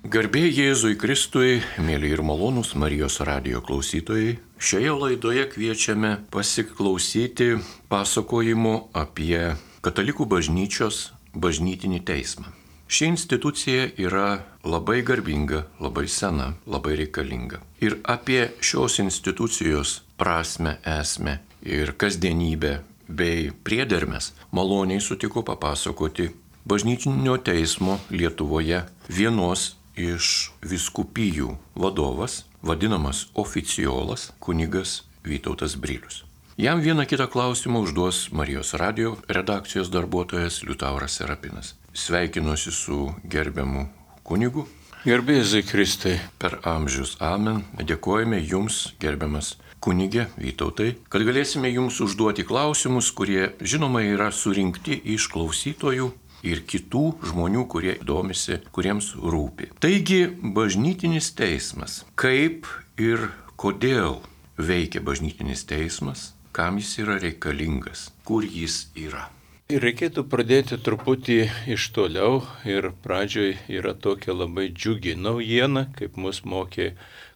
Garbė Jėzui Kristui, mėly ir malonūs Marijos radijo klausytojai, šioje laidoje kviečiame pasiklausyti pasakojimų apie Katalikų bažnyčios bažnytinį teismą. Ši institucija yra labai garbinga, labai sena, labai reikalinga. Ir apie šios institucijos prasme, esmę ir kasdienybę bei priedermes maloniai sutiko papasakoti bažnytinio teismo Lietuvoje vienos iš vyskupijų vadovas, vadinamas oficiolas kunigas Vytautas Brilius. Jam vieną kitą klausimą užduos Marijos radijo redakcijos darbuotojas Liutauras Serapinas. Sveikinuosi su gerbiamu kunigu. Garbė Jėzui Kristui. Per amžius amen. Dėkojame jums, gerbiamas kunigė Vytautai, kad galėsime jums užduoti klausimus, kurie žinoma yra surinkti iš klausytojų ir kitų žmonių, kurie domisi, kuriems rūpi. Taigi, bažnytinis teismas. Kaip ir kodėl veikia bažnytinis teismas, kam jis yra reikalingas, kur jis yra? Reikėtų pradėti truputį iš toliau ir pradžioj yra tokia labai džiugi naujiena, kaip mus mokė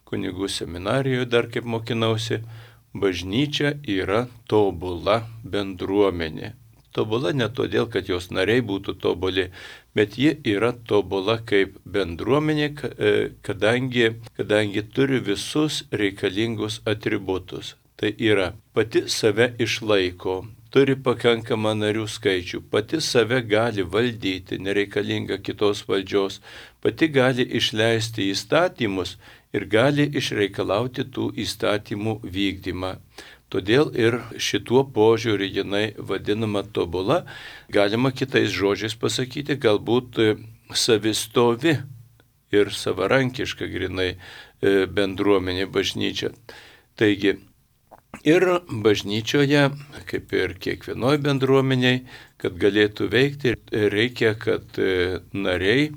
kunigų seminarijoje, dar kaip mokinausi, bažnyčia yra tobula bendruomenė. Tobula ne todėl, kad jos nariai būtų tobuli, bet ji yra tobula kaip bendruomenė, kadangi turi visus reikalingus atributus. Tai yra, pati save išlaiko, turi pakankamą narių skaičių, pati save gali valdyti, nereikalinga kitos valdžios, pati gali išleisti įstatymus ir gali išreikalauti tų įstatymų vykdymą. Todėl ir šituo požiūriu jinai vadinama tobula, galima kitais žodžiais pasakyti, galbūt savistovi ir savarankiška grinai bendruomenė bažnyčia. Taigi, ir bažnyčioje, kaip ir kiekvienoj bendruomeniai, kad galėtų veikti, reikia, kad nariai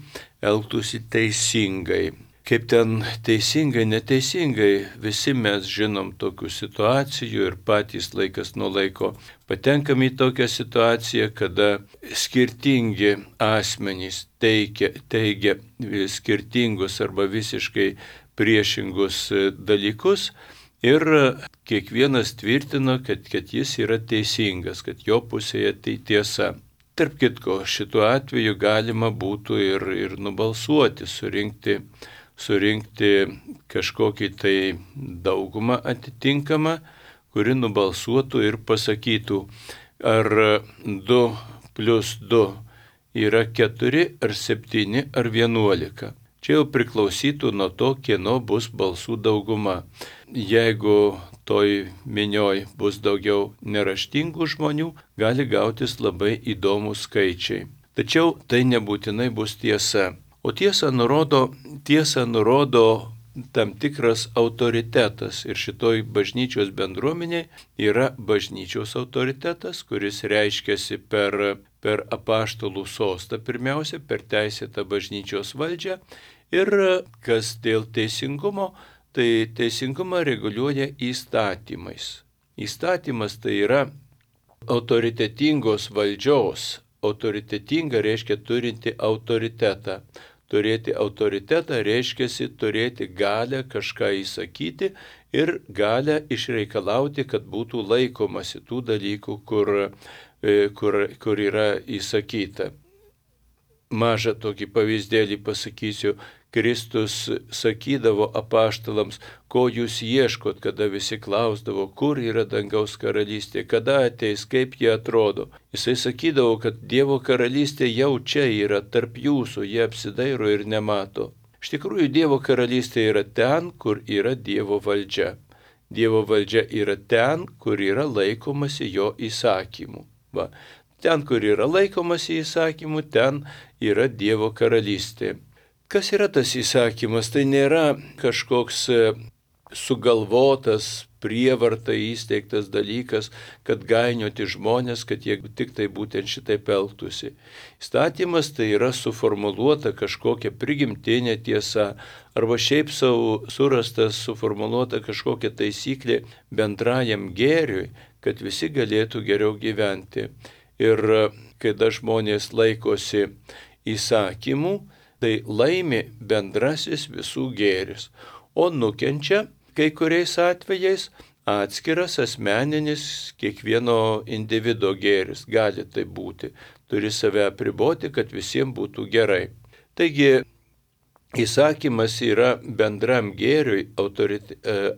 elgtųsi teisingai. Kaip ten teisingai, neteisingai, visi mes žinom tokių situacijų ir patys laikas nuo laiko patenkam į tokią situaciją, kada skirtingi asmenys teigia skirtingus arba visiškai priešingus dalykus ir kiekvienas tvirtino, kad jis yra teisingas, kad jo pusėje tai tiesa. Tarp kitko, šituo atveju galima būtų ir nubalsuoti, surinkti kažkokį tai daugumą atitinkamą, kuri nubalsuotų ir pasakytų, ar 2 + 2 yra 4 ar 7 ar 11. Čia jau priklausytų nuo to, kieno bus balsų dauguma. Jeigu toj minioj bus daugiau neraštingų žmonių, gali gautis labai įdomus skaičiai. Tačiau tai nebūtinai bus tiesa. O tiesą nurodo tam tikras autoritetas ir šitoj bažnyčios bendruomeniai yra bažnyčios autoritetas, kuris reiškiasi per apaštalų sostą pirmiausia, per teisėtą bažnyčios valdžią ir kas dėl teisingumo, tai teisingumą reguliuoja įstatymais. Įstatymas tai yra autoritetingos valdžios. Autoritetinga reiškia turinti autoritetą. Turėti autoritetą reiškiasi turėti galę kažką įsakyti ir galę išreikalauti, kad būtų laikomasi tų dalykų, kur yra įsakyta. Mažą tokį pavyzdėlį pasakysiu. Kristus sakydavo apaštalams, ko jūs ieškot, kada visi klausdavo, kur yra dangaus karalystė, kada ateis, kaip jie atrodo. Jisai sakydavo, kad Dievo karalystė jau čia yra tarp jūsų, jie apsidairo ir nemato. Iš tikrųjų, Dievo karalystė yra ten, kur yra Dievo valdžia. Dievo valdžia yra ten, kur yra laikomasi jo įsakymų. Va. Ten, kur yra laikomasi įsakymų, ten yra Dievo karalystė. Kas yra tas įsakymas? Tai nėra kažkoks sugalvotas, prievarta įsteigtas dalykas, kad gainioti žmonės, kad jie tik tai būtent šitaip elgtųsi. Įstatymas tai yra suformuluota kažkokia prigimtinė tiesa, arba šiaip savo surastas, suformuluota kažkokia taisyklė bendrajam gėriui, kad visi galėtų geriau gyventi. Ir kada žmonės laikosi įsakymų, tai laimi bendrasis visų gėris, o nukenčia kai kuriais atvejais atskiras asmeninis kiekvieno individo gėris. Gali tai būti. Turi save apriboti, kad visiems būtų gerai. Taigi, įsakymas yra bendram gėriui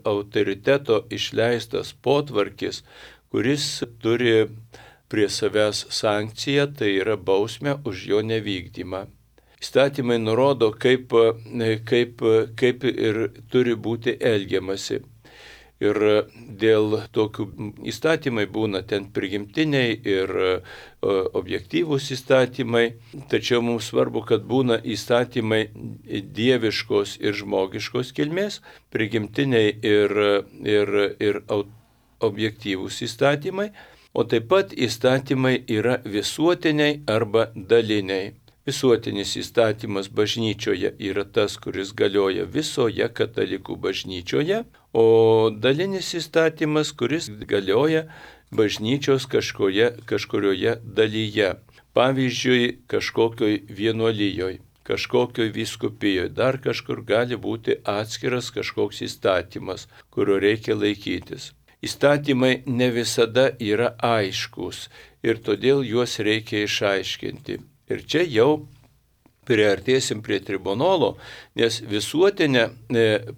autoriteto išleistas potvarkis, kuris turi prie savęs sankciją, tai yra bausmę už jo nevykdymą. Įstatymai nurodo, kaip ir turi būti elgiamasi. Ir dėl tokių įstatymai būna ten prigimtiniai ir objektyvūs įstatymai, tačiau mums svarbu, kad būna įstatymai dieviškos ir žmogiškos kilmės, prigimtiniai ir objektyvūs įstatymai, o taip pat įstatymai yra visuotiniai arba daliniai. Visuotinis įstatymas bažnyčioje yra tas, kuris galioja visoje katalikų bažnyčioje, o dalinis įstatymas, kuris galioja bažnyčios kažkurioje dalyje. Pavyzdžiui, kažkokioj vienuolijoj, kažkokioj vyskupijoje, dar kažkur gali būti atskiras kažkoks įstatymas, kurio reikia laikytis. Įstatymai ne visada yra aiškus ir todėl juos reikia išaiškinti. Ir čia jau priartėsim prie tribunolo, nes visuotinė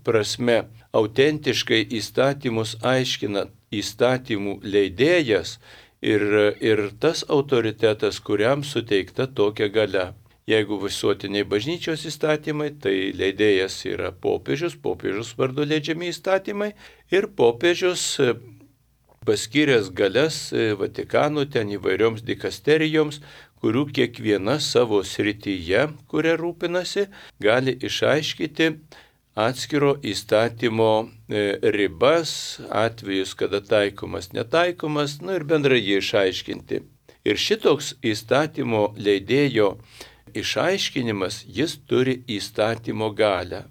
prasme autentiškai įstatymus aiškina įstatymų leidėjas ir tas autoritetas, kuriam suteikta tokia galia. Jeigu visuotiniai bažnyčios įstatymai, tai leidėjas yra popiežius vardu leidžiami įstatymai ir popiežius paskyręs galias Vatikanų ten įvairioms dikasterijoms, kurių kiekviena savo srityje, kuria rūpinasi, gali išaiškyti atskiro įstatymo ribas, atvejus, kada taikomas, netaikomas, ir bendrai jį išaiškinti. Ir šitoks įstatymo leidėjo išaiškinimas, jis turi įstatymo galią.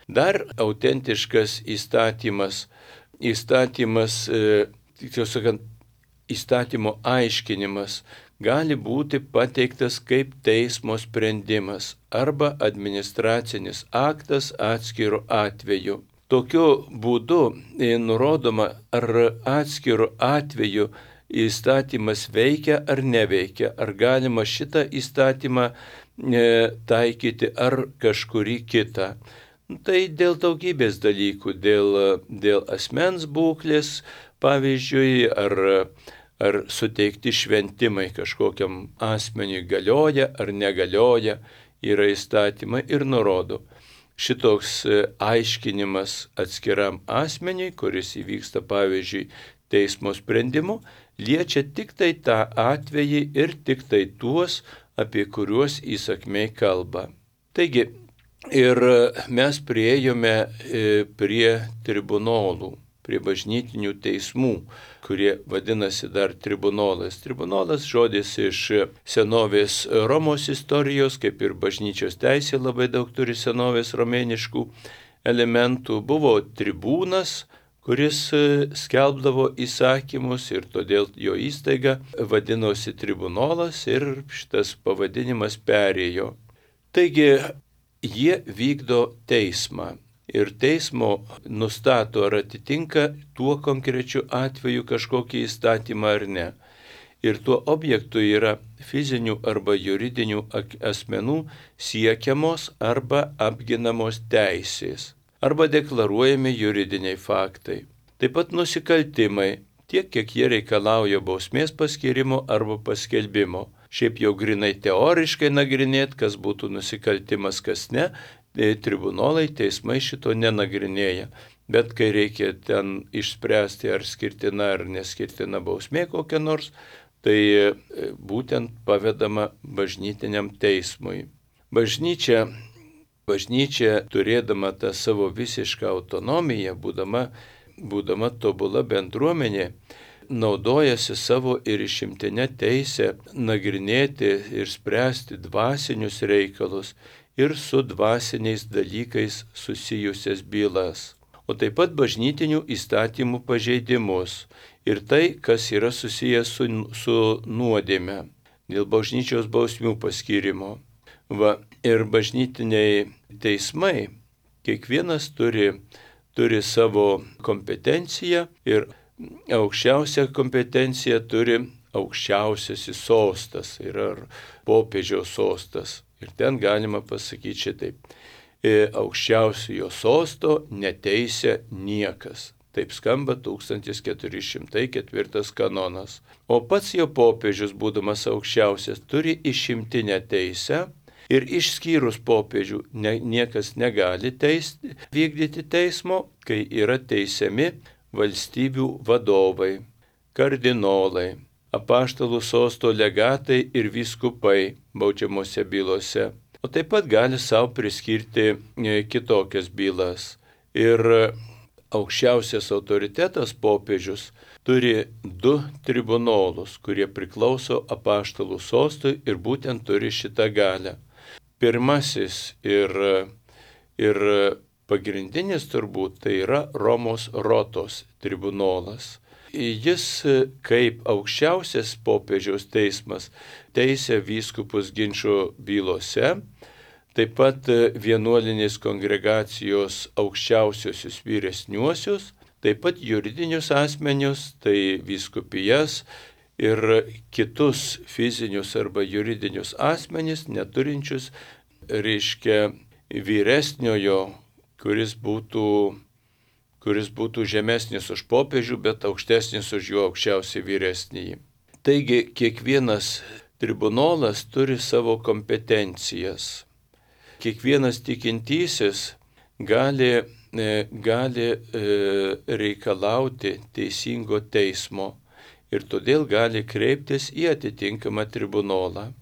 Dar autentiškas įstatymo aiškinimas gali būti pateiktas kaip teismo sprendimas arba administracinis aktas atskiru atveju. Tokiu būdu nurodoma, ar atskiru atveju įstatymas veikia ar neveikia, ar galima šitą įstatymą taikyti ar kažkurį kitą. Tai dėl daugybės dalykų, dėl asmens būklės, pavyzdžiui, ar suteikti šventimai kažkokiam asmeniui galioja ar negalioja, yra įstatymai ir nurodo. Šitoks aiškinimas atskiram asmeniui, kuris įvyksta, pavyzdžiui, teismo sprendimu, liečia tik tai tą atvejį ir tik tai tuos, apie kuriuos įsakmiai kalba. Taigi, ir mes priėjome prie tribunolų, prie bažnytinių teismų, kurie vadinasi dar tribunolas. Tribunolas žodis iš senovės Romos istorijos, kaip ir bažnyčios teisė labai daug turi senovės romėniškų elementų. Buvo tribūnas, kuris skelbdavo įsakymus ir todėl jo įstaiga vadinosi tribunolas ir šitas pavadinimas perėjo. Taigi jie vykdo teismą. Ir teismo nustato, ar atitinka tuo konkrečiu atveju kažkokį įstatymą ar ne. Ir tuo objektu yra fizinių arba juridinių asmenų siekiamos arba apginamos teisės, arba deklaruojami juridiniai faktai. Taip pat nusikaltimai, tiek kiek jie reikalauja bausmės paskyrimo arba paskelbimo. Šiaip jau grinai teoriškai nagrinėt, kas būtų nusikaltimas, kas ne, tribunolai, teismai šito nenagrinėja. Bet kai reikia ten išspręsti, ar skirtina ar neskirtina bausmė kokia nors, tai būtent pavedama bažnytiniam teismui. Bažnyčia turėdama tą savo visišką autonomiją, būdama tobula bendruomenė, naudojasi savo ir išimtinę teisę nagrinėti ir spręsti dvasinius reikalus ir su dvasiniais dalykais susijusias bylas, o taip pat bažnytinių įstatymų pažeidimus ir tai, kas yra susijęs su nuodėme dėl bažnyčios bausmių paskyrimo. Ir bažnytiniai teismai, kiekvienas turi savo kompetenciją ir aukščiausią kompetenciją turi aukščiausiasis sostas, yra popiežiaus sostas. Ir ten galima pasakyti šitaip. Aukščiausiojo sosto neteisia niekas. Taip skamba 1404 kanonas. O pats jo popiežius, būdamas aukščiausias, turi išimtinę teisę ir išskyrus popiežių niekas negali vykdyti teismo, kai yra teisiami valstybių vadovai, kardinolai, apaštalų sosto legatai ir vyskupai baudžiamose bylose. O taip pat gali savo priskirti kitokias bylas. Ir aukščiausias autoritetas popiežius turi 2 tribunolus, kurie priklauso apaštalų sostui ir būtent turi šitą galią. Pirmasis ir pagrindinis turbūt tai yra Romos rotos tribunolas. Jis kaip aukščiausias popiežiaus teismas teisia vyskupus ginčo bylose, taip pat vienuolinės kongregacijos aukščiausiosius vyresniuosius, taip pat juridinius asmenius, tai vyskupijas ir kitus fizinius arba juridinius asmenis, neturinčius, vyresniojo, kuris būtų žemesnis už popiežių, bet aukštesnis už jo aukščiausiai vyresnįjį. Taigi kiekvienas tribunolas turi savo kompetencijas. Kiekvienas tikintysis gali reikalauti teisingo teismo ir todėl gali kreiptis į atitinkamą tribunolą.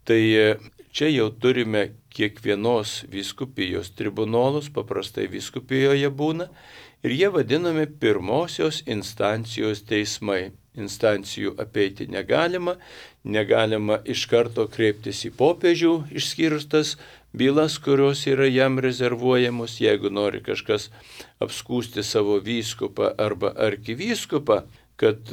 Tai čia jau turime kiekvienos vyskupijos tribunolus, paprastai vyskupijoje būna, ir jie vadinami pirmosios instancijos teismai. Instancijų apeiti negalima iš karto kreiptis į popiežių, išskyrus tas bylas, kurios yra jam rezervuojamos. Jeigu nori kažkas apskūsti savo vyskupą arba arkivyskupą, kad,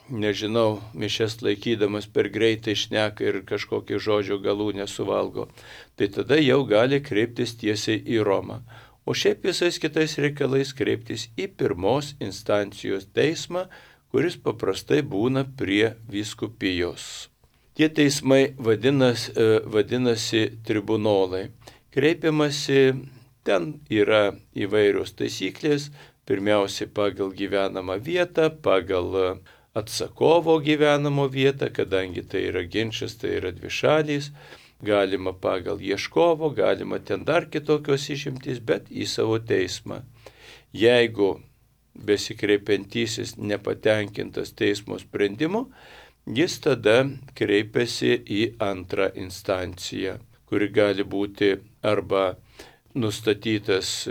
mišias laikydamas per greitai šneka ir kažkokį žodžio galų nesuvalgo, tai tada jau gali kreiptis tiesiai į Romą. O šiaip visais kitais reikalais kreiptis į pirmos instancijos teismą, kuris paprastai būna prie vyskupijos. Tie teismai vadinasi tribunolai. Kreipiamasi, ten yra įvairios taisyklės, pirmiausiai pagal gyvenamą vietą, pagal atsakovo gyvenamo vietą, kadangi tai yra ginčas, tai yra dvišalys, galima pagal ieškovo, galima ten dar kitokios išimtys, bet į savo teismą. Jeigu besikreipiantysis nepatenkintas teismo sprendimu, jis tada kreipiasi į antrą instanciją, kuri gali būti arba nustatytas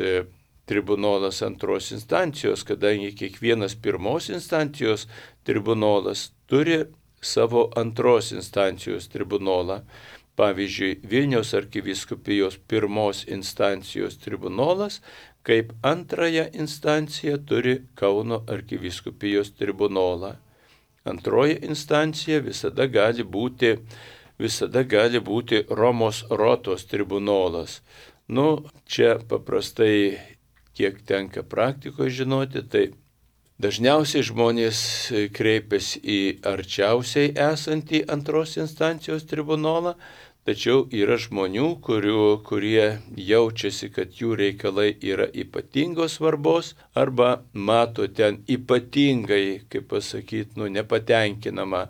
tribunolas antros instancijos, kadangi kiekvienas pirmos instancijos tribunolas turi savo antros instancijos tribunolą. Pavyzdžiui, Vilniaus arkivyskupijos pirmos instancijos tribunolas kaip antrąją instanciją turi Kauno arkivyskupijos tribunolą. Antroji instancija visada gali būti Romos rotos tribunolas. Čia paprastai, kiek tenka praktikoje žinoti, tai dažniausiai žmonės kreipiasi į arčiausiai esantį antros instancijos tribunolą, tačiau yra žmonių, kurie jaučiasi, kad jų reikalai yra ypatingos svarbos arba mato ten ypatingai, kaip pasakyti, nepatenkinamą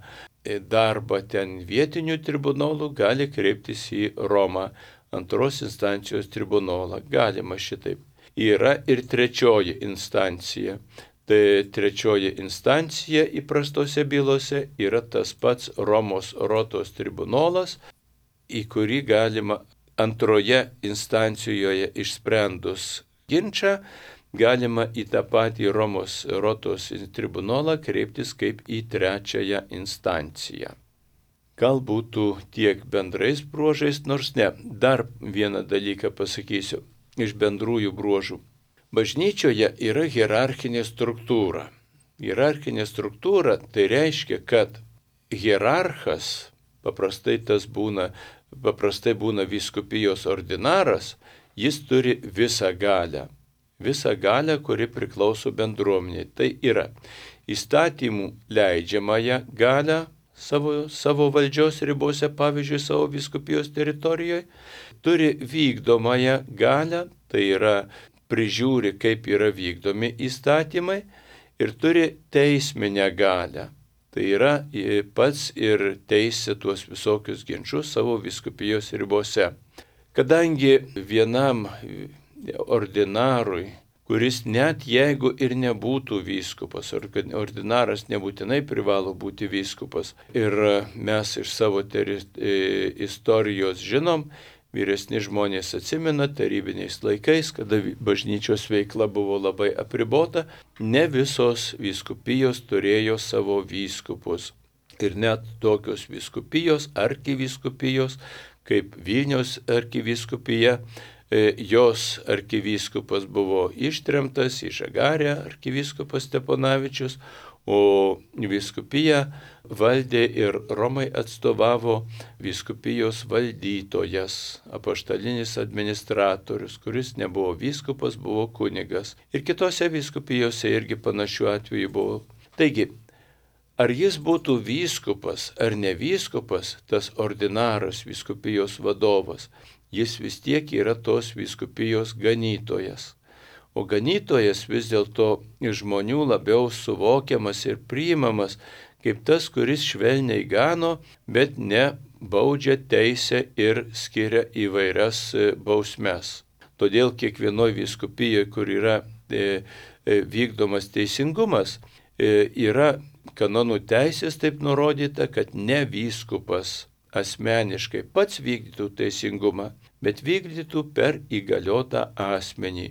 darbą ten vietinių tribunolų, gali kreiptis į Romą, antros instancijos tribunolą. Galima šitaip. Yra ir trečioji instancija. Tai trečioji instancija įprastose bylose yra tas pats Romos rotos tribunolas, į kurį galima antroje instancijoje išsprendus ginčą, galima į tą patį Romos rotos tribunolą kreiptis kaip į trečiąją instanciją. Galbūt tiek bendrais bruožais, nors ne. Dar vieną dalyką pasakysiu iš bendrųjų bruožų. Bažnyčioje yra hierarchinė struktūra. Hierarchinė struktūra tai reiškia, kad hierarchas, paprastai tas būna paprastai būna vyskupijos ordinaras, jis turi visą galę. Visą galę, kuri priklauso bendruomeniai. Tai yra įstatymų leidžiamąją galę savo valdžios ribose, pavyzdžiui, savo vyskupijos teritorijoje, turi vykdomąją galę, tai yra prižiūri, kaip yra vykdomi įstatymai, ir turi teisminę galę. Tai yra pats ir teisė tuos visokius ginčius savo vyskupijos ribose. Kadangi vienam ordinarui, kuris net jeigu ir nebūtų vyskupas, ordinaras nebūtinai privalo būti vyskupas, ir mes iš savo istorijos žinom, vyresni žmonės atsimena tarybiniais laikais, kada bažnyčios veikla buvo labai apribota, ne visos vyskupijos turėjo savo vyskupus. Ir net tokios vyskupijos, arkivyskupijos, kaip Vilniaus arkivyskupija, jos arkivyskupas buvo ištremtas į Žagarę, arkivyskupas Steponavičius, o vyskupiją valdė ir Romai atstovavo vyskupijos valdytojas, apaštalinis administratorius, kuris nebuvo vyskupas, buvo kunigas. Ir kitose vyskupijose irgi panašių atvejų buvo. Taigi, ar jis būtų vyskupas ar ne vyskupas, tas ordinaras, vyskupijos vadovas, jis vis tiek yra tos vyskupijos ganytojas. O ganytojas vis dėlto iš žmonių labiau suvokiamas ir priimamas kaip tas, kuris švelniai gano, bet ne baudžia, teisę ir skiria įvairias bausmes. Todėl kiekvienoje vyskupijoje, kur yra vykdomas teisingumas, yra kanonų teisės taip nurodyta, kad ne vyskupas asmeniškai pats vykdytų teisingumą, bet vykdytų per įgaliotą asmenį.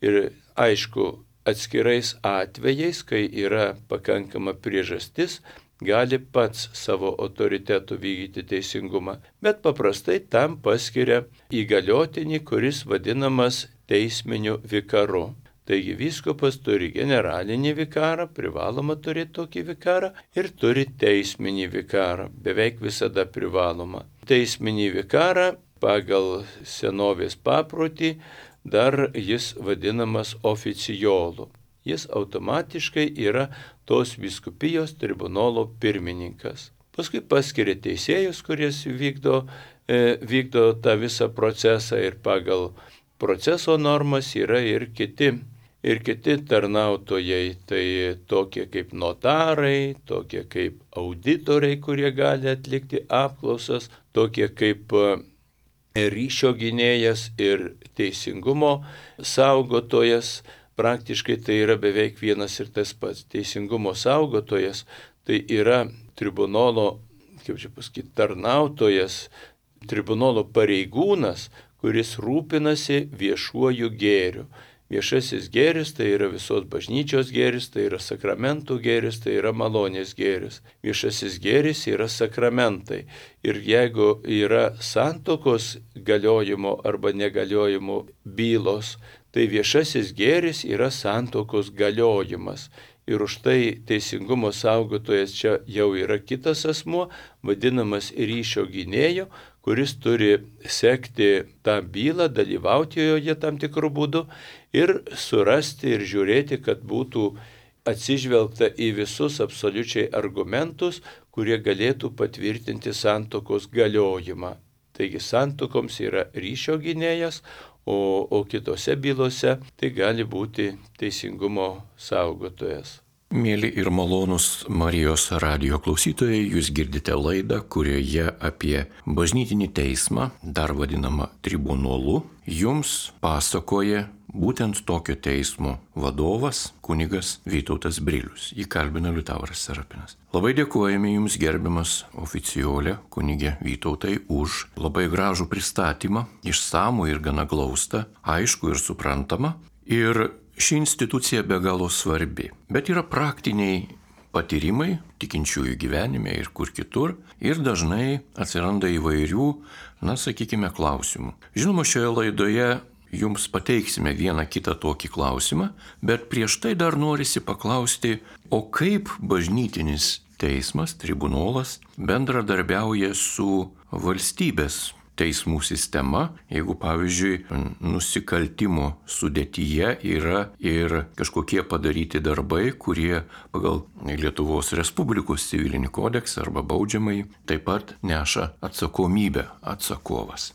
Ir aišku, atskirais atvejais, kai yra pakankama priežastis, gali pats savo autoritetu vykdyti teisingumą, bet paprastai tam paskiria įgaliotinį, kuris vadinamas teisminiu vikaru. Taigi vyskupas turi generalinį vikarą, privaloma turėti tokį vikarą, ir turi teisminį vikarą, beveik visada privaloma. Teisminį vikarą pagal senovės paprotį dar jis vadinamas oficiolu. Jis automatiškai yra tos vyskupijos tribunolo pirmininkas. Paskui paskiria teisėjus, kuris vykdo tą visą procesą, ir pagal proceso normas yra ir kiti tarnautojai, tai tokie kaip notarai, tokie kaip auditoriai, kurie gali atlikti apklausas, tokie kaip ryšio gynėjas ir teisingumo saugotojas. Praktiškai tai yra beveik vienas ir tas pats. Teisingumo saugotojas tai yra tribunolo, tarnautojas, tribunolo pareigūnas, kuris rūpinasi viešuoju gėriu. Viešasis gėris tai yra visos bažnyčios gėris, tai yra sakramentų gėris, tai yra malonės gėris. Viešasis gėris yra sakramentai. Ir jeigu yra santuokos galiojimo arba negaliojimo bylos, tai viešasis gėris yra santuokos galiojimas. Ir už tai teisingumo saugotojas čia jau yra kitas asmuo, vadinamas ryšio gynėju, kuris turi sekti tą bylą, dalyvauti joje tam tikrų būdų ir surasti ir žiūrėti, kad būtų atsižvelgta į visus absoliučiai argumentus, kurie galėtų patvirtinti santuokos galiojimą. Taigi santuokoms yra ryšio gynėjas, o kitose bylose tai gali būti teisingumo saugotojas. Mėly ir malonūs Marijos radijo klausytojai, jūs girdite laidą, kurioje apie bažnytinį teismą, dar vadinamą tribunolu, jums pasakoja būtent tokio teismo vadovas, kunigas Vytautas Brilius. Jį kalbina Liutauras Serapinas. Labai dėkojame jums, gerbiamas oficiolė kunigė Vytautai, už labai gražų pristatymą, išsamų ir gana glaustą, aišku ir suprantama. Ir ši institucija be galo svarbi, bet yra praktiniai patyrimai tikinčiųjų gyvenime ir kur kitur, ir dažnai atsiranda įvairių, klausimų. Žinoma, šioje laidoje jums pateiksime vieną kitą tokį klausimą, bet prieš tai dar norisi paklausti, o kaip bažnytinis teismas, tribunolas bendradarbiauja su valstybės teismų sistema, jeigu, pavyzdžiui, nusikaltimo sudėtyje yra ir kažkokie padaryti darbai, kurie pagal Lietuvos Respublikos civilinį kodeksą arba baudžiamąjį taip pat neša atsakomybę atsakovas.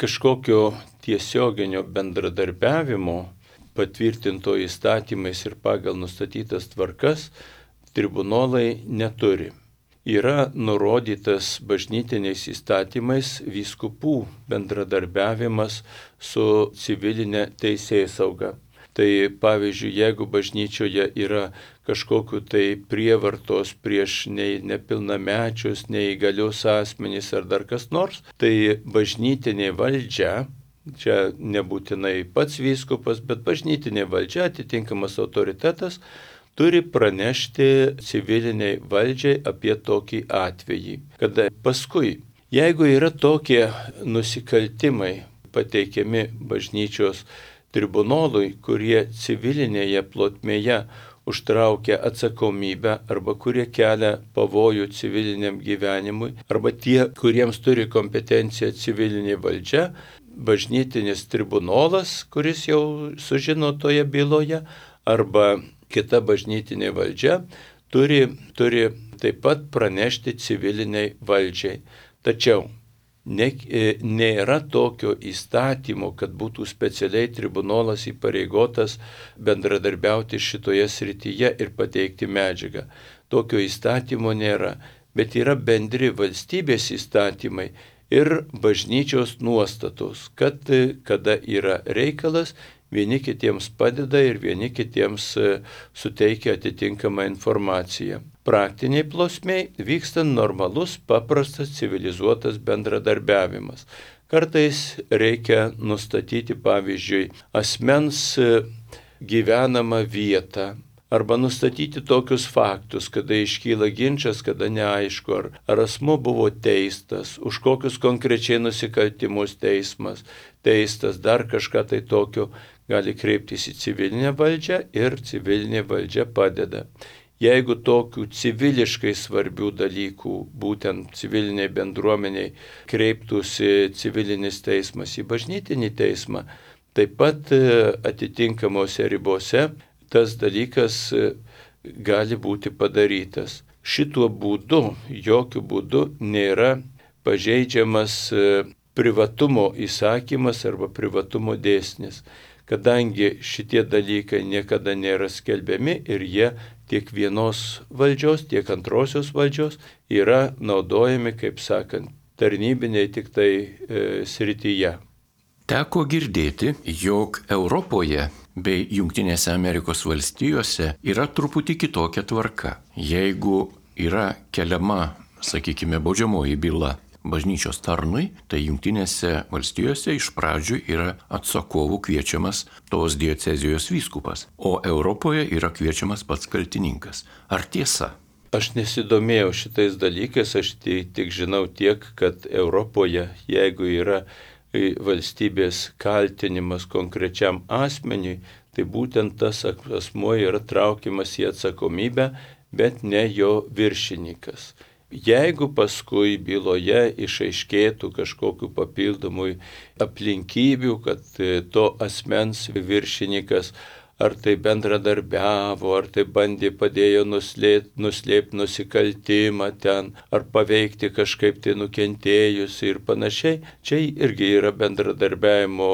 Kažkokio tiesioginio bendradarbiavimo patvirtinto įstatymais ir pagal nustatytas tvarkas tribunolai neturi. Yra nurodytas bažnytiniais įstatymais vyskupų bendradarbiavimas su civilinė teisėsauga. Tai pavyzdžiui, jeigu bažnyčioje yra kažkokiu tai prievartos prieš nei nepilnamečius, neįgalius asmenys ar dar kas nors, tai bažnytinė valdžia, čia nebūtinai pats vyskupas, bet bažnytinė valdžia, atitinkamas autoritetas, turi pranešti civiliniai valdžiai apie tokį atvejį. Kada paskui, jeigu yra tokie nusikaltimai pateikiami bažnyčios tribunolui, kurie civilinėje plotmėje užtraukia atsakomybę arba kurie kelia pavojų civiliniam gyvenimui, arba tie, kuriems turi kompetenciją civilinė valdžia, bažnytinis tribunolas, kuris jau sužino toje byloje, arba kita bažnytinė valdžia, turi taip pat pranešti civiliniai valdžiai. Tačiau nėra tokio įstatymo, kad būtų specialiai tribunolas įpareigotas bendradarbiauti šitoje srityje ir pateikti medžiagą. Tokio įstatymo nėra, bet yra bendri valstybės įstatymai ir bažnyčios nuostatos, kad kada yra reikalas, vieni kitiems padeda ir vieni kitiems suteikia atitinkamą informaciją. Praktiniai plotmėj vyksta normalus, paprastas, civilizuotas bendradarbiavimas. Kartais reikia nustatyti, pavyzdžiui, asmens gyvenamą vietą arba nustatyti tokius faktus, kada iškyla ginčas, kada neaišku, ar asmuo buvo teistas, už kokius konkrečiai nusikaltimus teistas, dar kažką tai tokio, gali kreiptis į civilinę valdžią ir civilinė valdžia padeda. Jeigu tokių civiliškai svarbių dalykų, būtent civiliniai bendruomeniai, kreiptųsi civilinis teismas į bažnytinį teismą, taip pat atitinkamose ribose tas dalykas gali būti padarytas. Šituo būdu, jokių būdų nėra pažeidžiamas privatumo įsakymas arba privatumo dėsnis, kadangi šitie dalykai niekada nėra skelbiami ir jie tiek vienos valdžios, tiek antrosios valdžios yra naudojami, kaip sakant, tarnybiniai tik tai srityje. Teko girdėti, jog Europoje bei Jungtinėse Amerikos valstijose yra truputį kitokia tvarka. Jeigu yra keliama, sakykime, baudžiamoji byla bažnyčios tarnui, tai Jungtinėse valstijose iš pradžių yra atsakovų kviečiamas tos diecezijos vyskupas, o Europoje yra kviečiamas pats kaltininkas. Ar tiesa? Aš nesidomėjau šitais dalykais, aš tik žinau tiek, kad Europoje, jeigu yra valstybės kaltinimas konkrečiam asmeniui, tai būtent tas asmuo yra traukiamas į atsakomybę, bet ne jo viršininkas. Jeigu paskui byloje išaiškėtų kažkokiu papildomų aplinkybių, kad to asmens viršininkas ar tai bendradarbiavo, ar tai padėjo nuslėpti nusikaltimą ten, ar paveikti kažkaip tai nukentėjusi ir panašiai, čia irgi yra bendradarbiavimo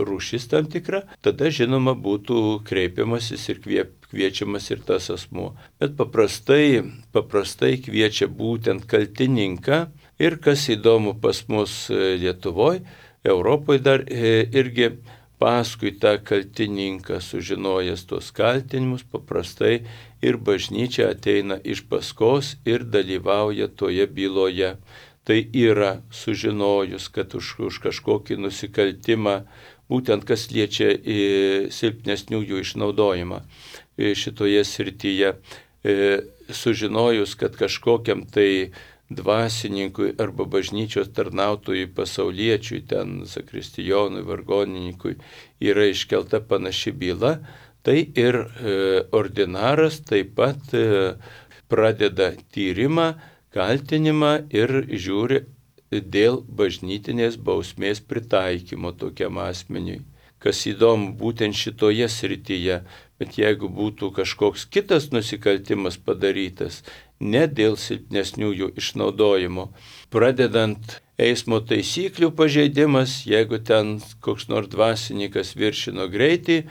rūšis tam tikra, tada žinoma būtų kreipiamasis ir kviečiamas ir tas asmuo. Bet paprastai kviečia būtent kaltininką ir kas įdomu pas mus Lietuvoje, Europoje dar irgi paskui tą kaltininką sužinojęs tos kaltinimus, paprastai ir bažnyčia ateina iš paskos ir dalyvauja toje byloje. Tai yra sužinojus, kad už kažkokį nusikaltimą, būtent kas liečia silpnesniųjų išnaudojimą šitoje srityje, sužinojus, kad kažkokiam tai dvasininkui arba bažnyčios tarnautojui pasauliečiui, ten zakristijonui, vargonininkui yra iškelta panaši byla, tai ir ordinaras taip pat pradeda tyrimą, kaltinimą ir žiūri, dėl bažnytinės bausmės pritaikymo tokiam asmeniui. Kas įdomu, būtent šitoje srityje, bet jeigu būtų kažkoks kitas nusikaltimas padarytas, ne dėl silpnesniųjų išnaudojimo, pradedant eismo taisyklių pažeidimas, jeigu ten koks nors dvasininkas viršino greitį,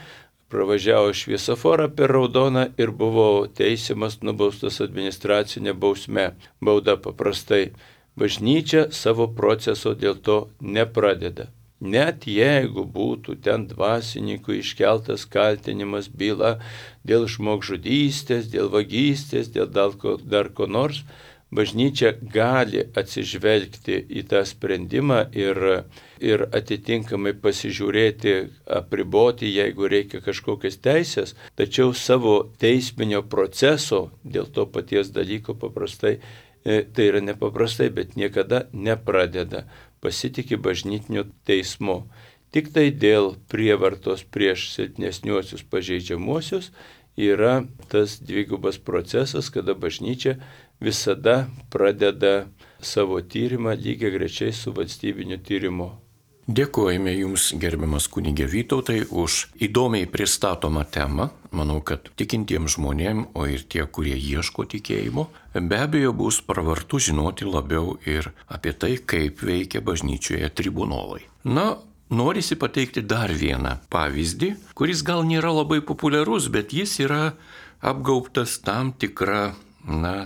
pravažiavo šviesoforą per raudoną ir buvo teisiamas, nubaustas administracinė bausme, bauda paprastai. Bažnyčia savo proceso dėl to nepradeda. Net jeigu būtų ten dvasininkų iškeltas kaltinimas, byla dėl žmogžudystės, dėl vagystės, dėl dar ko nors, bažnyčia gali atsižvelgti į tą sprendimą ir atitinkamai pasižiūrėti, apriboti, jeigu reikia kažkokias teisės, tačiau savo teisminio proceso dėl to paties dalyko paprastai, tai yra nepaprastai, bet niekada nepradeda, pasitikė bažnytiniu teismu. Tik tai dėl prievartos prieš silpnesniuosius pažeidžiamuosius yra tas dvigubas procesas, kada bažnyčia visada pradeda savo tyrimą lygiagrečiai su valstybiniu tyrimu. Dėkojame Jums, gerbiamas kunigė Vytautai, už įdomiai pristatomą temą. Manau, kad tikintiems žmonėms, o ir tie, kurie ieško tikėjimo, be abejo bus pravartu žinoti labiau ir apie tai, kaip veikia bažnyčioje tribunolai. Na, norisi pateikti dar vieną pavyzdį, kuris gal nėra labai populiarus, bet jis yra apgaubtas tam tikra,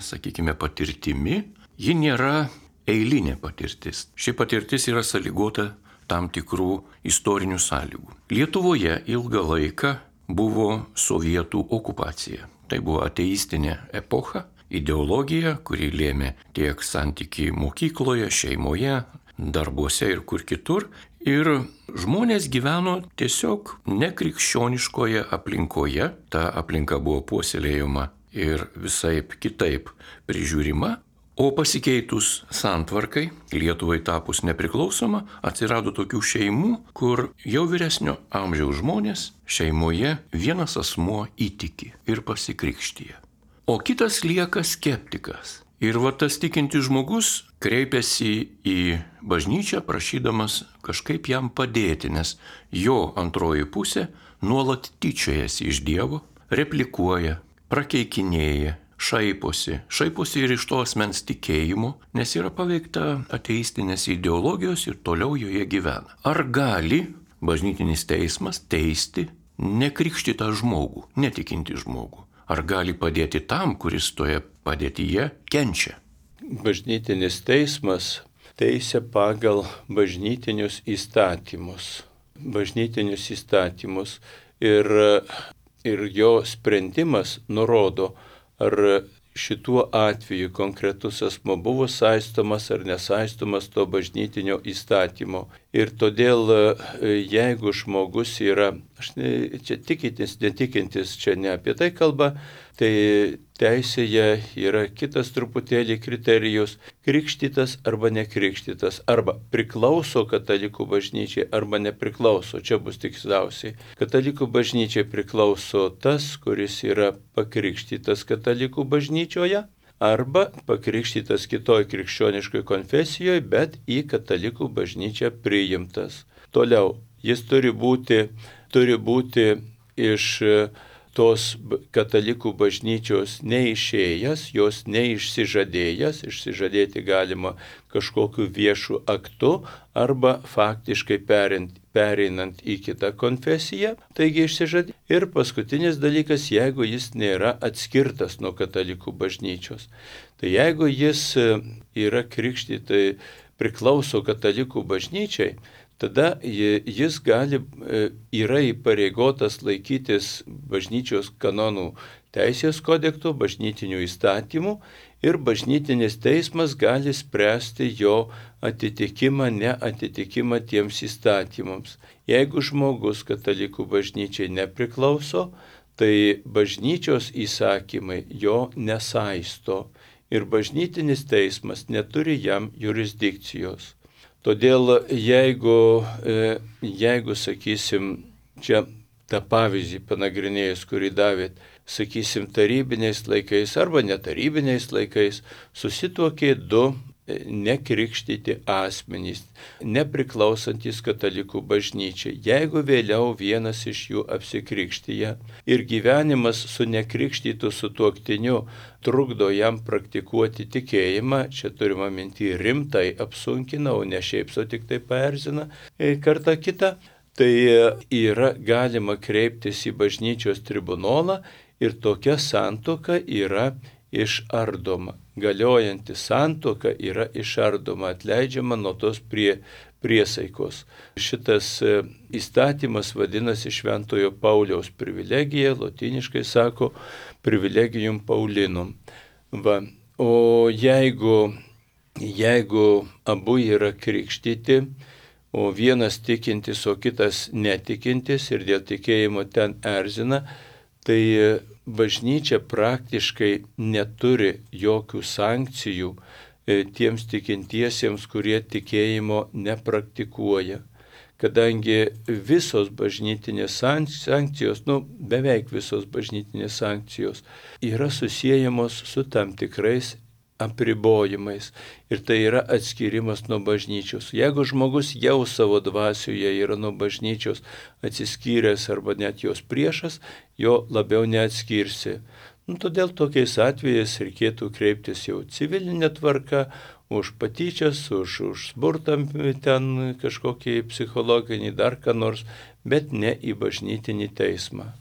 sakykime, patirtimi. Ji nėra eilinė patirtis. Ši patirtis yra sąlygota tam tikrų istorinių sąlygų. Lietuvoje ilgą laiką buvo sovietų okupacija. Tai buvo ateistinė epocha, ideologija, kuri lėmė tiek santykiai mokykloje, šeimoje, darbuose ir kur kitur. Ir žmonės gyveno tiesiog nekrikščioniškoje aplinkoje. Ta aplinka buvo puoselėjama ir visaip kitaip prižiūrima. O pasikeitus santvarkai, Lietuvai tapus nepriklausoma, atsirado tokių šeimų, kur jau vyresnio amžiaus žmonės šeimoje vienas asmuo įtiki ir pasikrikštyja. O kitas lieka skeptikas. Ir tas tikintis žmogus kreipiasi į bažnyčią, prašydamas kažkaip jam padėti, nes jo antroji pusė nuolat tyčiojasi iš Dievo, replikuoja, prakeikinėja, šaiposi ir iš to asmens tikėjimo, nes yra paveikta ateistinės ideologijos ir toliau joje gyvena. Ar gali bažnytinis teismas teisti nekrikštytą žmogų, netikinti žmogų? Ar gali padėti tam, kuris toje padėtyje kenčia? Bažnytinis teismas teisia pagal bažnytinius įstatymus. Ir jo sprendimas nurodo, ar šituo atveju konkretus asmo buvo saistomas ar nesaistomas to bažnytinio įstatymo. Ir todėl, jeigu žmogus yra, čia tikintis, netikintis, čia ne apie tai kalba, tai teisėje yra kitas truputėlį kriterijus - krikštytas arba nekrikštytas, arba priklauso katalikų bažnyčiai arba nepriklauso. Čia bus tiksliausiai. Katalikų bažnyčiai priklauso tas, kuris yra pakrikštytas katalikų bažnyčioje, arba pakrikštytas kitoj krikščioniškoj konfesijoje, bet į katalikų bažnyčią priimtas. Toliau, jis turi būti iš tos katalikų bažnyčios neišėjęs, jos neišsižadėjęs, išsižadėti galima kažkokiu viešu aktu arba faktiškai pereinant į kitą konfesiją, taigi išsižadė. Ir paskutinis dalykas, jeigu jis nėra atskirtas nuo katalikų bažnyčios. Tai jeigu jis yra krikštytas, priklauso katalikų bažnyčiai, tada jis yra įpareigotas laikytis bažnyčios kanonų teisės kodekso, bažnytinių įstatymų ir bažnytinis teismas gali spręsti jo atitikimą, neatitikimą tiems įstatymams. Jeigu žmogus katalikų bažnyčiai nepriklauso, tai bažnyčios įsakymai jo nesaisto ir bažnytinis teismas neturi jam jurisdikcijos. Todėl jeigu, sakysim, čia tą pavyzdį panagrinėjus, kurį davėt, sakysim, tarybiniais laikais arba netarybiniais laikais susituokė du nekrikštyti asmenys, nepriklausantis katalikų bažnyčiai. Jeigu vėliau vienas iš jų apsikrikštyje ir gyvenimas su nekrikštytu sutuoktiniu trukdo jam praktikuoti tikėjimą, čia turima minti rimtai apsunkina, o ne šiaip sau tik tai paerzina kartą kitą, tai yra galima kreiptis į bažnyčios tribunolą ir tokia santuoka yra išardoma. Galiojanti santuoka yra išardoma, atleidžiama nuo tos priesaikos. Šitas įstatymas vadinasi Šventojo Pauliaus privilegija, lotyniškai sako privilegium Paulinum. Va. O jeigu abu yra krikštyti, o vienas tikintis, o kitas netikintis ir dėl tikėjimo ten erzina, tai bažnyčia praktiškai neturi jokių sankcijų tiems tikintiesiems, kurie tikėjimo nepraktikuoja. Kadangi visos bažnytinės sankcijos, beveik visos bažnytinės sankcijos yra susiejamos su tam tikrais apribojimais ir tai yra atskirimas nuo bažnyčios. Jeigu žmogus jau savo dvasioje yra nuo bažnyčios atsiskyręs arba net jos priešas, jo labiau neatskirsi. Todėl tokiais atvejais reikėtų kreiptis jau civilinė tvarka, už patyčias, už smurtą ten kažkokį psichologinį dar ką nors, bet ne į bažnytinį teismą.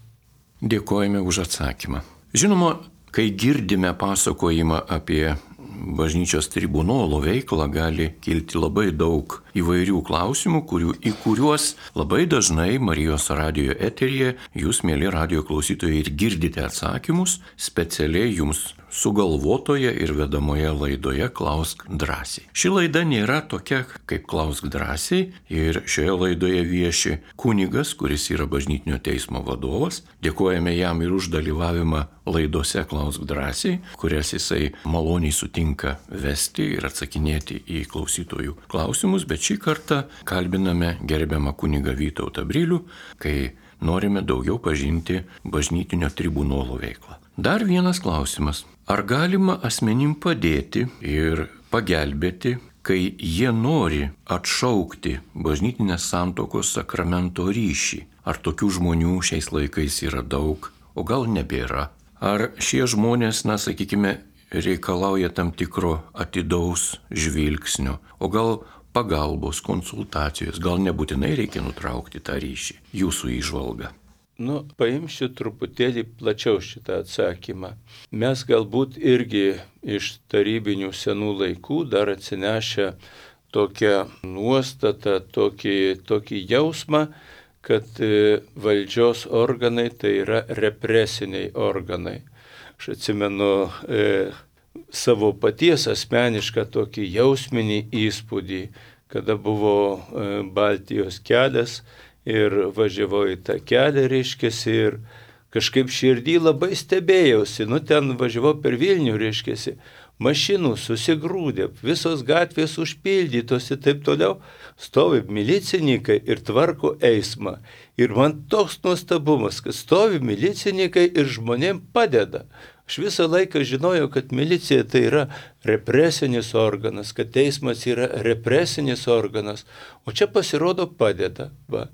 Dėkojame už atsakymą. Žinoma, kai girdime pasakojimą apie bažnyčios tribunolo veiklą, gali kilti labai daug įvairių klausimų, į kuriuos labai dažnai Marijos radijo eteryje jūs, mieli radijo klausytojai, ir girdite atsakymus specialiai jums sugalvotoje ir vedamoje laidoje Klausk drąsiai. Ši laida nėra tokia kaip Klausk drąsiai ir šioje laidoje vieši kunigas, kuris yra bažnytinio teismo vadovas. Dėkojame jam ir už dalyvavimą laidose Klausk drąsiai, kurias jisai maloniai sutinka vesti ir atsakinėti į klausytojų klausimus, bet šį kartą kalbiname gerbiamą kunigą Vytautą Brilių, kai norime daugiau pažinti bažnytinio tribunolo veiklą. Dar vienas klausimas. Ar galima asmenim padėti ir pagelbėti, kai jie nori atšaukti bažnytinės santuokos sakramento ryšį? Ar tokių žmonių šiais laikais yra daug, o gal nebėra? Ar šie žmonės, reikalauja tam tikro atidaus žvilgsnio, o gal pagalbos, konsultacijos, gal nebūtinai reikia nutraukti tą ryšį? Jūsų įžvalga. Paimsiu truputėlį plačiau šitą atsakymą. Mes galbūt irgi iš tarybinių senų laikų dar atsinešę tokią nuostatą, tokį jausmą, kad valdžios organai tai yra represiniai organai. Aš atsimenu savo paties asmenišką tokį jausminį įspūdį, kada buvo Baltijos kelias ir važiavau į tą kelią, ir kažkaip širdį labai stebėjausi. Ten važiavau per Vilnių, mašinų susigrūdė, visos gatvės užpildytos ir taip toliau, stovi milicininkai ir tvarko eismą. Ir man toks nuostabumas, kad stovi milicininkai ir žmonėm padeda. Aš visą laiką žinojau, kad milicija tai yra represinis organas, kad teismas yra represinis organas, o čia pasirodo padeda. Va.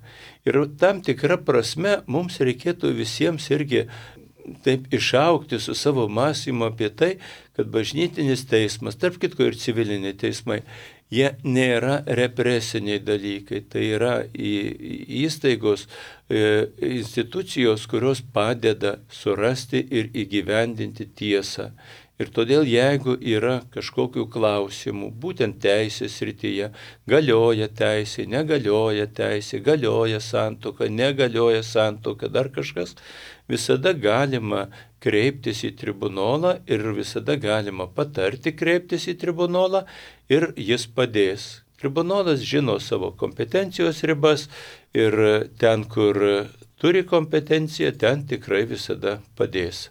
Ir tam tikra prasme mums reikėtų visiems irgi taip išaugti su savo mąstymu apie tai, kad bažnytinis teismas, tarp kitko ir civiliniai teismai, jie nėra represiniai dalykai, tai yra įstaigos, institucijos, kurios padeda surasti ir įgyvendinti tiesą. Ir todėl, jeigu yra kažkokių klausimų, būtent teisės srityje, galioja teisė, negalioja teisė, galioja santuoka, negalioja santuoka, dar kažkas, visada galima kreiptis į tribunolą ir visada galima patarti kreiptis į tribunolą ir jis padės. Tribunolas žino savo kompetencijos ribas ir ten, kur turi kompetenciją, ten tikrai visada padės.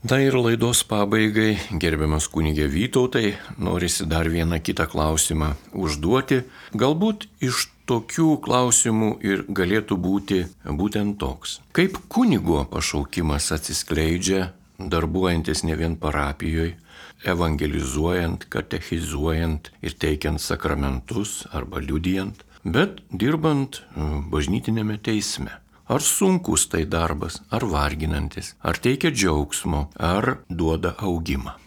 Na ir laidos pabaigai, gerbiamas kunigė Vytautai, norisi dar vieną kitą klausimą užduoti. Galbūt iš tokių klausimų ir galėtų būti būtent toks. Kaip kunigo pašaukimas atsiskleidžia, darbuojantis ne vien parapijoje, evangelizuojant, katechizuojant ir teikiant sakramentus arba liudijant, bet dirbant bažnytinėme teisme. Ar sunkus tai darbas, ar varginantis, ar teikia džiaugsmo, ar duoda augimą.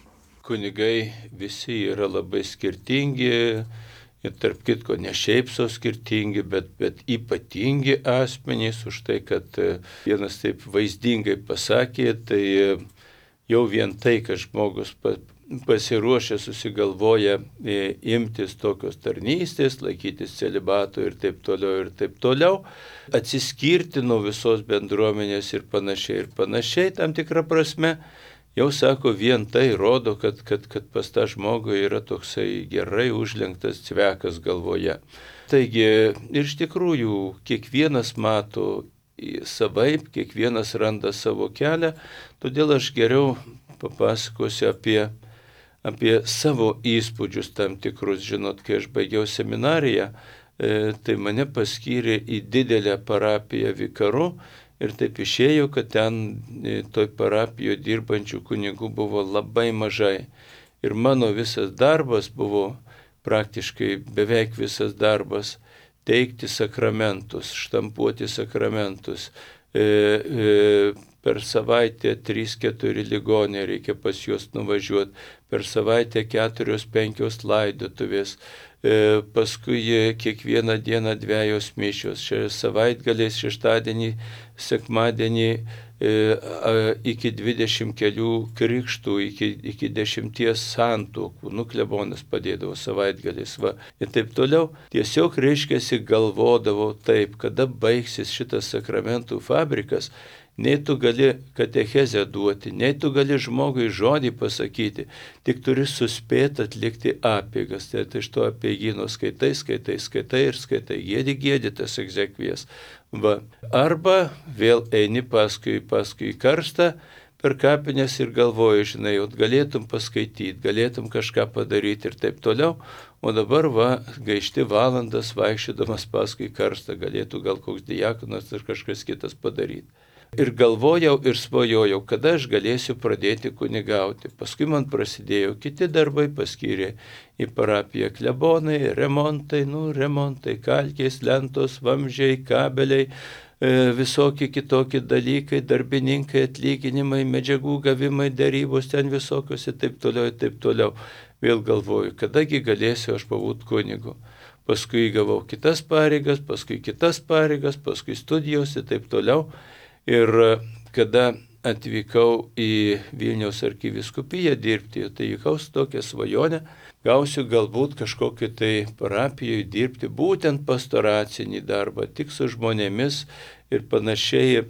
Kunigai visi yra labai skirtingi ir tarp kitko ne šiaip so skirtingi, bet ypatingi asmenys už tai, kad vienas taip vaizdingai pasakė, tai jau vien tai, kad žmogus pasiruošę susigalvoja imtis tokios tarnystės, laikytis celibato ir taip toliau, atsiskirti nuo visos bendruomenės ir panašiai tam tikrą prasme, jau sako, vien tai rodo, kad pas tą žmogų yra toksai gerai užlenktas cvekas galvoje. Taigi, iš tikrųjų, kiekvienas mato savaip, kiekvienas randa savo kelią, todėl aš geriau papasakosiu apie savo įspūdžius tam tikrus. Žinot, kai aš baigiau seminariją, tai mane paskyrė į didelę parapiją vikaru. Ir taip išėjo, kad ten toj parapijoje dirbančių kunigų buvo labai mažai. Ir mano visas darbas buvo, praktiškai beveik visas darbas, teikti sakramentus, štampuoti sakramentus. Per savaitę 3-4 ligoniai reikia pas juos nuvažiuoti, per savaitę 4-5 laidotuvės. Paskui kiekvieną dieną 2 mišios, savaitgaliais, šeštadienį, sekmadienį iki 20 kelių krikštų, iki 10 santuokų, klebonas padėdavo savaitgaliais, ir taip toliau. Tiesiog reiškiasi galvodavau taip, kada baigsis šitas sakramentų fabrikas, nei tu gali katechezę duoti, nei tu gali žmogui žodį pasakyti, tik turi suspėti atlikti apeigas. Tai iš to apeigyno skaitai, giedi tas egzekvijas. Arba vėl eini paskui karstą per kapines ir galvoji, žinai, galėtum paskaityti, galėtum kažką padaryti ir taip toliau, o dabar gaišti valandas vaikščiodamas paskui karstą, galėtų gal koks diakonas ar kažkas kitas padaryti. Ir galvojau ir svajojau, kada aš galėsiu pradėti kunigauti. Paskui man prasidėjo kiti darbai, paskyrė į parapiją klebonai, remontai, kalkės, lentos, vamzdžiai, kabeliai, visokie kitokie dalykai, darbininkai, atlyginimai, medžiagų gavimai, darybos ten visokios ir taip toliau. Vėl galvoju, kadagi galėsiu aš pabūti kunigu. Paskui gavau kitas pareigas, paskui studijos ir taip toliau. Ir kada atvykau į Vilniaus arkivyskupiją dirbti, tai vykau su tokia svajonė, gausiu galbūt kažkokį tai parapijoje dirbti būtent pastoracinį darbą, tik su žmonėmis ir panašiai,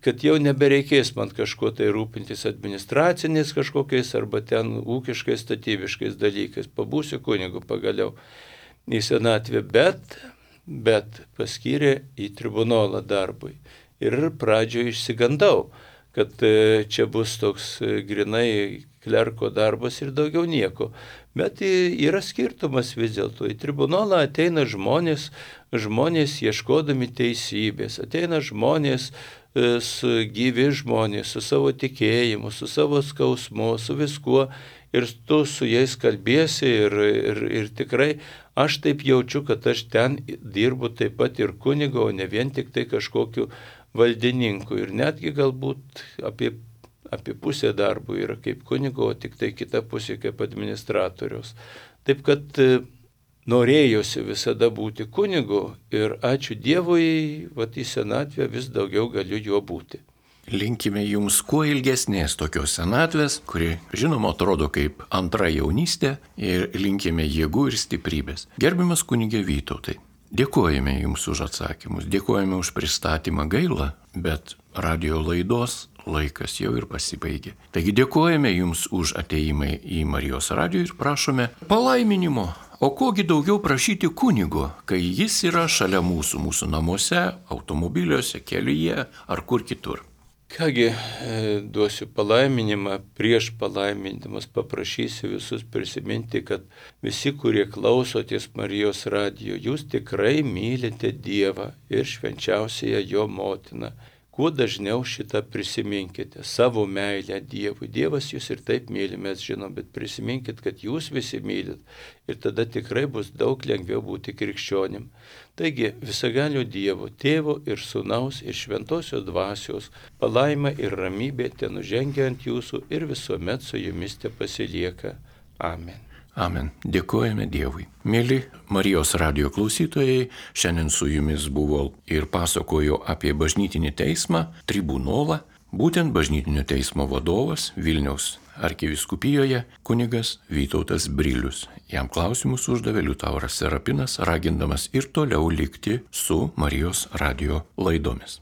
kad jau nebereikės man kažko tai rūpintis administraciniais kažkokiais arba ten ūkiškais, statybiškais dalykais. Pabūsiu kunigu pagaliau į senatvę, bet paskyrė į tribunolą darbui. Ir pradžioje išsigandau, kad čia bus toks grinai klerko darbas ir daugiau nieko. Bet yra skirtumas vis dėlto. Į tribunolą ateina žmonės ieškodami teisybės, ateina žmonės, gyvi žmonės, su savo tikėjimu, su savo skausmu, su viskuo. Ir tu su jais kalbėsi ir tikrai aš taip jaučiu, kad aš ten dirbu taip pat ir kunigo, o ne vien tik tai kažkokiu valdininku. Ir netgi galbūt apie pusę darbų yra kaip kunigo, o tik tai kita pusė kaip administratorius. Taip kad norėjosi visada būti kunigu ir ačiū Dievui, į senatvę vis daugiau galiu juo būti. Linkime jums kuo ilgesnės tokios senatvės, kuri, žinoma, atrodo kaip antra jaunystė, ir linkime jėgų ir stiprybės. Gerbiamas kunige Vytautai, dėkojame jums už atsakymus, dėkojame už pristatymą. Gaila, bet radio laidos laikas jau ir pasibaigė. Taigi dėkojame jums už ateimą į Marijos radiją ir prašome palaiminimo. O kogi daugiau prašyti kunigo, kai jis yra šalia mūsų namuose, automobiliuose, kelyje ar kur kitur. Kągi, duosiu palaiminimą, prieš palaimindamas paprašysiu visus prisiminti, kad visi, kurie klausotės Marijos radijo, jūs tikrai mylite Dievą ir švenčiausiąją jo motiną, kuo dažniau šitą prisiminkite, savo meilę Dievui. Dievas jūs ir taip myli, mes žinom, bet prisiminkit, kad jūs visi mylit ir tada tikrai bus daug lengviau būti krikščionim. Taigi visagalio Dievo, Tėvo ir Sūnaus ir Šventosios Dvasios palaima ir ramybė tenužengia ant jūsų ir visuomet su jumis tepasilieka. Amen. Amen. Dėkojame Dievui. Mėly Marijos radijo klausytojai, šiandien su jumis buvo ir pasakojo apie bažnytinį teismą, tribunolą, būtent bažnytinio teismo vadovas Vilniaus arkivyskupijoje kunigas Vytautas Brilius. Jam klausimus uždavė Liutauras Serapinas, ragindamas ir toliau likti su Marijos radijo laidomis.